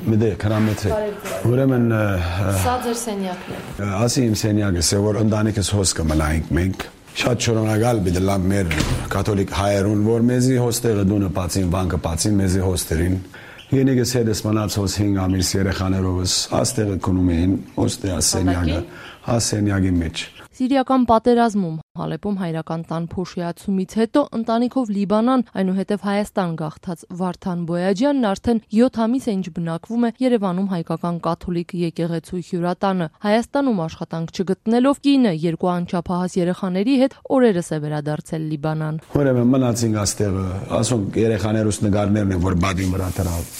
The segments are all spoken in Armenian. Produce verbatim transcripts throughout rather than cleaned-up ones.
Մի դե քրամեթե։ Ուրեմն Սա ձեր սենյակն է։ ասի իմ սենյակը, որ ընտանիքս հոս կմնայինք մենք։ Շատ շնորհակալ բիդլամ մեր կաթոլիկ հայերուն, որ մեզի հոստերը դունը բացին, բանկը բացին, մեզի հոստերին։ Ենիգս հետս մնաց հոս հինգ ամիս երեխաներովս, աստեղը կնում էին, հոստե ասենյակը, ասենյակի մեջ։ Սիրիական պատերազմում Հալեպում հայրական տան փոշիացումից հետո ընտանիքով Լիբանան, այնուհետև Հայաստան գաղթած Վարդան Բոյաջյանն արդեն յոթ ամիս է ինչ բնակվում է Երևանում հայկական կաթոլիկ եկեղեցու հյուրատանը։ Հայաստանում աշխատանք չգտնելով կինը երկու անչափահաս երեխաների հետ օրերս է վերադարձել Լիբանան։ Ուրեմն մնացինք աստեղը, ասոնք երեխաներուս նկարներն են, որ բադի վրա դրավ,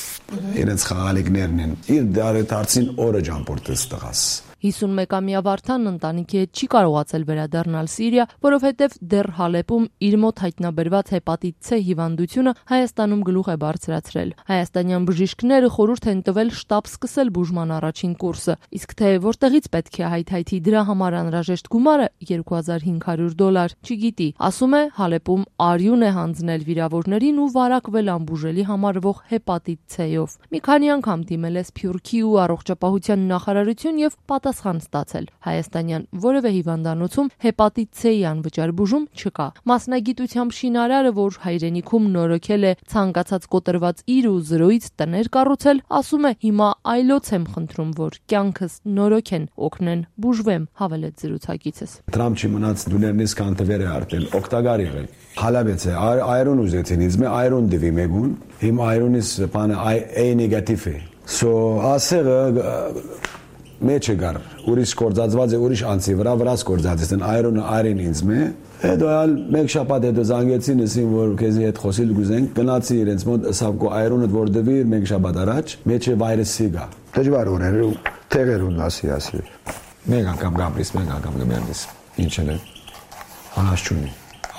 իրենց խաղալիքներն են։ Իր դարեցին օրը ճամփորդեց տղաս։ հիսունմեկամյա Վարդանն ընտանիքի հետ չի կարողացել վերադառնալ Սիրիա, որովհետև դեռ Հալեպում իր մոտ հայտնաբերված հեպատիտ C հիվանդությունը Հայաստանում գլուխ է բարձրացրել։ Հայաստանյան բժիշկները խորհուրդ են տվել շտապ սկսել բուժման առաջին կուրսը, իսկ թե որտեղից պետք է հայթայթի դրա համար անհրաժեշտ գումարը երկու հազար հինգ հարյուր դոլար, չգիտի։ Ասում է Հալեպում արյուն է հանձնել վիրավորներին ու վարակվել անբուժելի համարվող հեպատիտ C-ով։ Մի քանի անգամ դիմել է Սփյուռքի ու առողջապահության նախարարություն եւ պատասխան ստացել։ Հայաստանյան որևէ հիվանդանոցում հեպատիտ C-ի անվճար բուժում չկա։ Մասնագիտությամբ շինարարը, որ հայրենիքում նորոգել է ցանկացած կոտրված իր ու զրոյից տներ կառուցել, ասում է հիմա այլոց եմ խնդրում, որ կյանքս նորոգեն, օգնեն, բուժվեմ, հավելեց զրուցակիցս։ Տրամփ չի մնաց դուներնից կանտվեր է արտել, օգտակար եղել։ Հալաբեց է, այրոն ուզեցին, իզմե այրոն դվի մեգուն, հիմ այրոնից բանը A նեգատիվ է։ So ասեղը մեջը գար, ուրիշ կորձածված է, ուրիշ անցի վրա վրաս կորձածից են, այրոնը այրին ինձ մե, հետո ալ մեկ շապատ հետո զանգեցին ասին, որ քեզի հետ խոսիլ գուզենք, գնացի իրենց մոտ սավկո այրոնը որ դվի մեկ շապատ առաջ, մեջը վայրեսի գա։ Դժվար օրեր ու տեղերուն ասի ասի։ Մեկ անգամ գաբրիս, մեկ անգամ գմերնիս, ինչ էլ է, անաս չունի,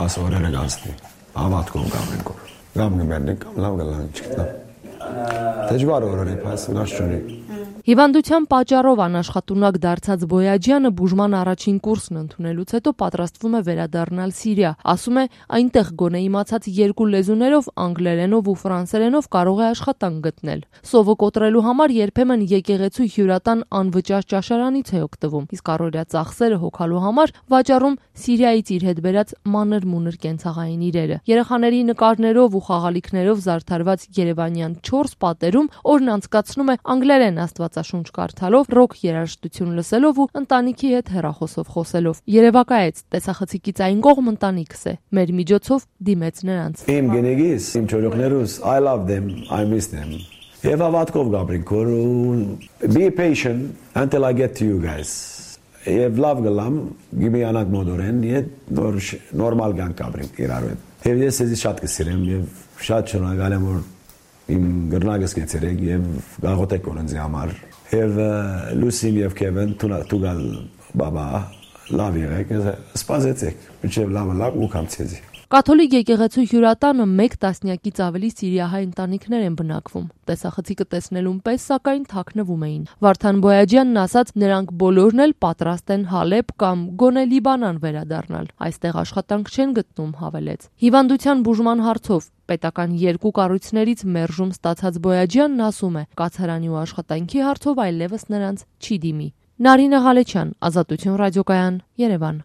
աս օրերը գանցնի, հավատքով գամենքով, գամ գմերնիկ, կամ լավ գլան չգտնամ։ Դժվար օրեր է, պայս անաս չունի։ Հիվանդության պատճառով անաշխատունակ դարձած Բոյաջյանը բուժման առաջին կուրսն ընդունելուց հետո պատրաստվում է վերադառնալ Սիրիա։ Ասում է, այնտեղ գոնե իմացած երկու լեզուներով, անգլերենով ու ֆրանսերենով կարող է աշխատանք գտնել։ Սովը կոտրելու համար երբեմն եկեղեցու հյուրատան անվճար ճաշարանից է օգտվում, իսկ առօրյա ծախսերը հոգալու համար վաճառում Սիրիայից իր հետ բերած մանր-մունր կենցաղային իրերը։ Երեխաների նկարներով ու խաղալիքներով զարդարված երևանյան չորս պատերում օրն անցկացնում է անգլերեն աստվածաշունչ կարդալով, ռոք երաժշտություն լսելով ու ընտանիքի հետ հեռախոսով խոսելով։ Երևակայեց, տեսախցիկից այն կողմ ընտանիքս է։ Մեր միջոցով դիմեց նրանց։ Իմ գենեգիս, իմ չորոքներուս, I love them, I miss them։ Եվ հավատքով գաբրինք, որ be patient until I get to you guys։ Եվ լավ գլամ, գիմի անակ մոդորեն, ետ նորմալ գանք գաբրինք իրար հետ։ Եվ ես եզի շատ կսիրեմ եւ շատ շնորհակալ եմ, որ իմ գրնագս կեցերեք եւ գաղոտեք օրենձի համար եւ Լուսին եւ Քևեն տուգալ բաբա լավ եղեք սպասեցեք մինչեւ լավը լավ ու կամցեզի Կաթոլիկ եկեղեցու հյուրատանը մեկ տասնյակից ավելի սիրիահայ ընտանիքներ են բնակվում։ Տեսախցիկը տեսնելուն պես սակայն թաքնվում էին։ Վարդան Բոյաջյանն ասաց, նրանք բոլորն էլ պատրաստ են Հալեպ կամ գոնե Լիբանան վերադառնալ։ Այստեղ աշխատանք չեն գտնում, հավելեց։ Հիվանդության բուժման հարցով պետական երկու կառույցներից մերժում ստացած Բոյաջյանն ասում է, կացարանի ու աշխատանքի հարցով այլևս նրանց չի դիմի։ Նարինե Ղալեչյան, Ազատություն ռադիոկայան, Երևան։